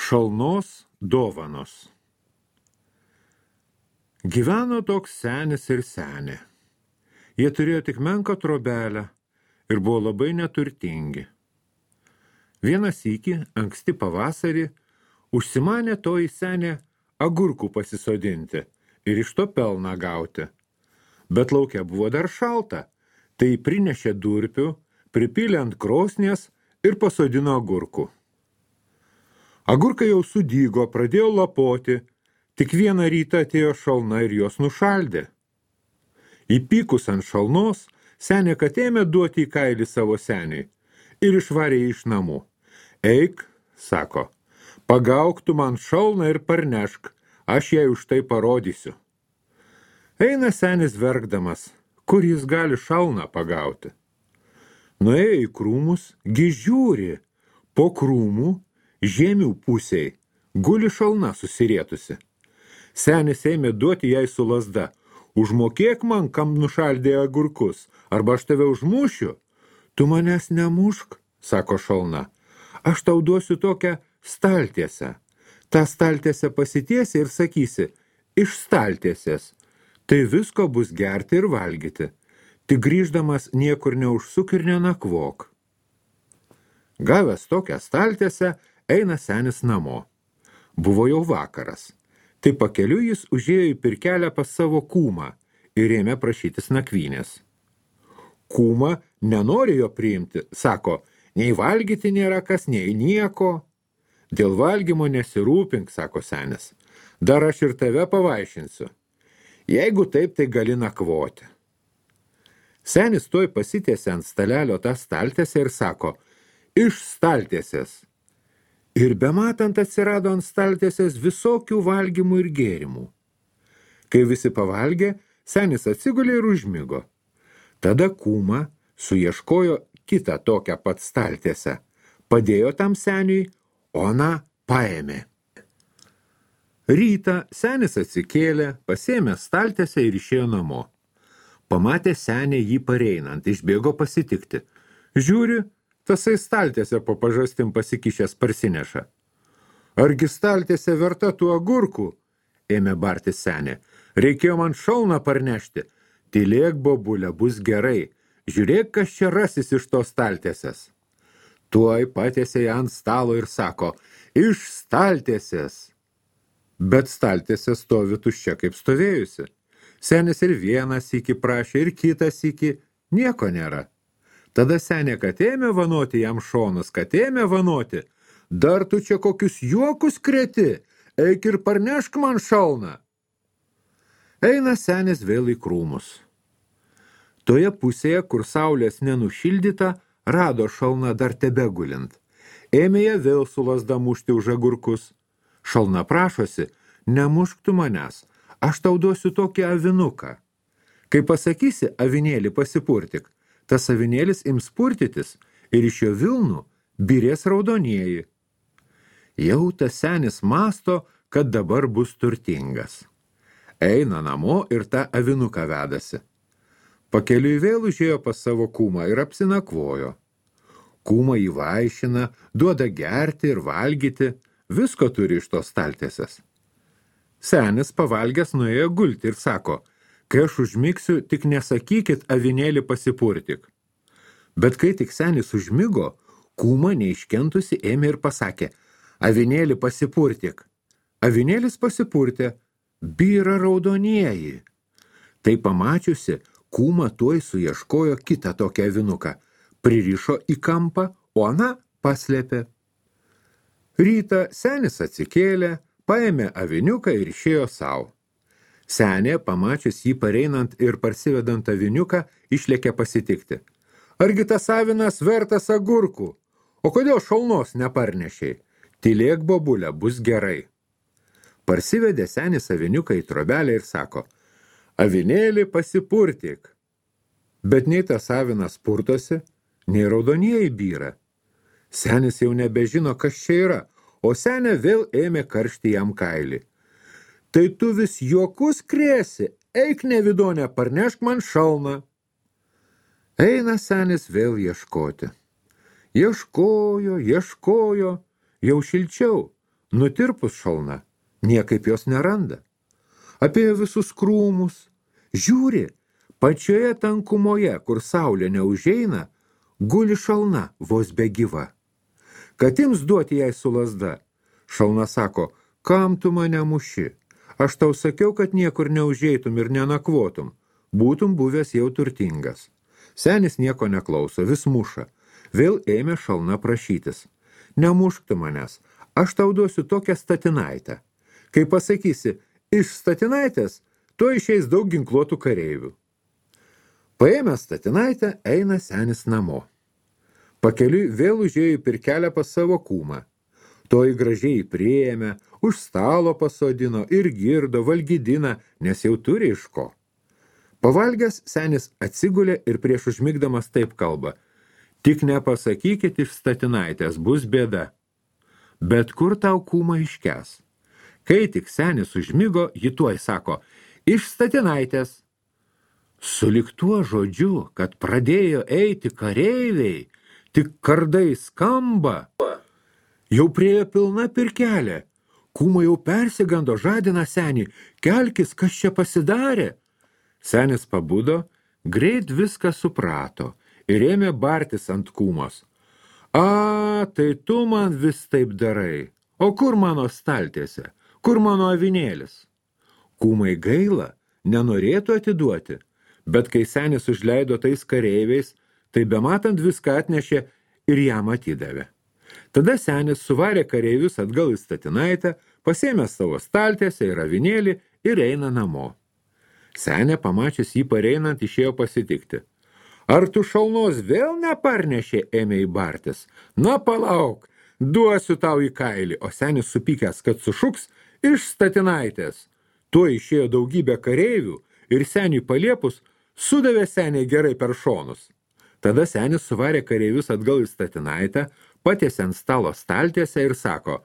Šalnos dovanos. Gyveno toks senis ir senė. Jie turėjo tik menką trobelę ir buvo labai neturtingi. Vieną sykį, anksti pavasarį, užsimanė toji senė agurkų pasisodinti ir iš to pelną gauti. Bet lauke buvo dar šalta, tai prinešė durpių, pripylė ant krosnies ir pasodino agurkų. Agurkai jau sudygo, pradėjo lapoti, tik vieną rytą atėjo šalna ir jos nušaldė. Įpykus ant šalnos, senė kad ėmė duoti į kailį savo seniui ir išvarė iš namų. Eik, sako, pagauk tu man šalną ir parnešk, aš jai už tai parodysiu. Eina senis verkdamas, kur jis gali šalną pagauti. Nuėjo į krūmus, gi žiūri, po krūmų, žemių pusėj, guli šalna susirietusi. Senis ėmė duoti jai su lazda. Užmokėk man, kam nušaldė agurkus, arba aš tave užmušiu. Tu manęs nemušk, sako šalna. Aš tau duosiu tokią staltiesę. Ta staltiesę pasitiesi ir sakysi, iš staltiesės. Tai visko bus gerti ir valgyti. Tik grįždamas niekur neužsuk ir nenakvok. Gavęs tokią staltiesę, eina senis namo. Buvo jau vakaras. Tai pakeliu jis užėjo į pirkelę pas savo kūmą ir ėmė prašytis nakvynės. Kūma nenori jo priimti, sako, nei valgyti nėra kas, nei nieko. Dėl valgymo nesirūpink, sako senis. Dar aš ir tave pavaišinsiu. Jeigu taip, tai gali nakvoti. Senis toj pasitiesė ant stalelio tą staltiesę ir sako, iš staltiesės. Ir bematant atsirado ant staltiesės visokių valgymų ir gėrimų. Kai visi pavalgė, senis atsigulė ir užmigo. Tada kūma suieškojo kitą tokią pat staltiesę, padėjo tam seniui, o ana paėmė. Rytą senis atsikėlė, pasėmė staltiesę ir išėjo namo. Pamatė senė jį pareinant, išbėgo pasitikti. Žiūri, tasai staltiesę po pažastim pasikišęs parsineša. Argi staltiesė verta tų agurkų? Ėmė barti senė. Reikėjo man šalną parnešti. Tylėk, bobulė, bus gerai. Žiūrėk, kas čia rasis iš tos staltiesės. Tuoj patiesė ją ant stalo ir sako, iš staltiesės. Bet staltiesė stovi tuščia kaip stovėjusi. Senis ir vieną sykį prašė, ir kitą sykį, nieko nėra. Tada senė, kad ėmė vanoti jam šonus, kad ėmė vanoti. Dar tu čia kokius juokus kreti, eik ir parnešk man šalną. Eina senis vėl į krūmus. Toje pusėje, kur saulės nenušildyta, rado šalną dar tebegulint. Ėmė ją vėl su lazda mušti už agurkus. Šalna prašosi, nemušk tu manęs, aš tau duosiu tokį avinuką. Kai pasakysi, avinėlį pasipurtik, tas avinėlis ims purtytis ir iš jo vilnų birės raudonieji. Jau tas senis masto, kad dabar bus turtingas. Eina namo ir tą avinuką vedasi. Pakeliui vėl užėjo pas savo kūmą ir apsinakvojo. Kūmą įvaišina, duoda gerti ir valgyti, visko turi iš tos staltiesės. Senis pavalgęs nuėjo gulti ir sako, kai aš užmigsiu, tik nesakykit avinėlį pasipurtik. Bet kai tik senis užmigo, kūma neiškentusi ėmė ir pasakė, avinėlį pasipurtik. Avinėlis pasipurtė, byra raudonieji. Tai pamačiusi, kūma tuoj suieškojo kitą tokią avinuką, pririšo į kampą, o ana paslėpė. Rytą senis atsikėlė, paėmė aviniuką ir išėjo savo. Senė, pamačius jį pareinant ir parsivedant aviniuką, išlėkė pasitikti. Argi tas avinas vertas agurkų? O kodėl šalnos neparnešiai? Tylėk, bobulė, bus gerai. Parsivedė senis aviniuką į trobelę ir sako, avinėlį pasipurtik. Bet nei tas avinas purtosi, nei raudonieji byra. Senis jau nebežino, kas čia yra, o senė vėl ėmė karšti jam kailį. Tai tu vis juokus krėsi, eik nevidonė, parnešk man šalną. Eina senis vėl ieškoti. Ieškojo, jau šilčiau, nutirpus šalna, niekaip jos neranda. Apie visus krūmus, žiūri, pačioje tankumoje, kur saulė neužeina, guli šalna vos begyva. Kad ims duoti jai su lazda, šalna sako, kam tu mane muši? Aš tau sakiau, kad niekur neužeitum ir nenakvotum, būtum buvęs jau turtingas. Senis nieko neklauso, vis muša. Vėl ėmė šalna prašytis. Nemušk tu manęs, aš tau duosiu tokią statinaitę. Kai pasakysi, iš statinaitės, to išeis daug ginkluotų kareivių. Paėmęs statinaitę, eina senis namo. Pakeliui vėl užėjo į pirkelę pas savo kūmą. Toji gražiai priėmė, už stalo pasodino ir girdo, valgydina, nes jau turi iš ko. Pavalgęs, senis atsigulė ir prieš užmigdamas taip kalba. Tik nepasakykit iš statinaitės, bus bėda. Bet kur tau kūma iškes? Kai tik senis užmigo, ji tuoj sako, iš statinaitės. Sulig tuo žodžiu, kad pradėjo eiti kareiviai, tik kardai skamba. Jau priejo pilna pirkelė. Kūma jau persigando, žadina senį. Kelkis, kas čia pasidarė? Senis pabudo, greit viską suprato ir ėmė bartis ant kūmos. A, tai tu man vis taip darai. O kur mano staltiese? Kur mano avinėlis? Kūmai gaila, nenorėtų atiduoti, bet kai senis užleido tais kareiviais, tai bematant viską atnešė ir jam atidavė. Tada senis suvarė kareivius atgal į statinaitę, pasėmė savo staltiesę ir avinėlį ir eina namo. Senė, pamačius jį pareinant, išėjo pasitikti. Ar tu šalnos vėl neparnešė, ėmė į bartis? Na, palauk, duosiu tau į kailį, o senis supykęs, kad sušuks iš statinaitės. Tuo išėjo daugybė kareivių ir seniui paliepus sudavė seniai gerai per šonus. Tada senis suvarė kareivius atgal į statinaitę, patiesė ant stalo staltiesę ir sako,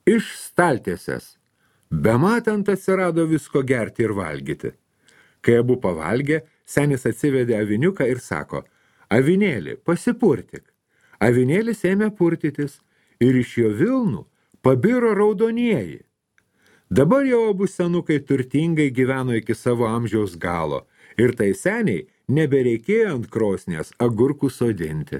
iš staltiesės. Bematant atsirado visko gerti ir valgyti. Kai abu pavalgė, senis atsivedė aviniuką ir sako, avinėlį, pasipurtik. Avinėlis ėmė purtytis ir iš jo vilnų pabiro raudonieji. Dabar jau abu senukai turtingai gyveno iki savo amžiaus galo ir tai seniai nebereikėjo ant krosnės agurkų sodinti.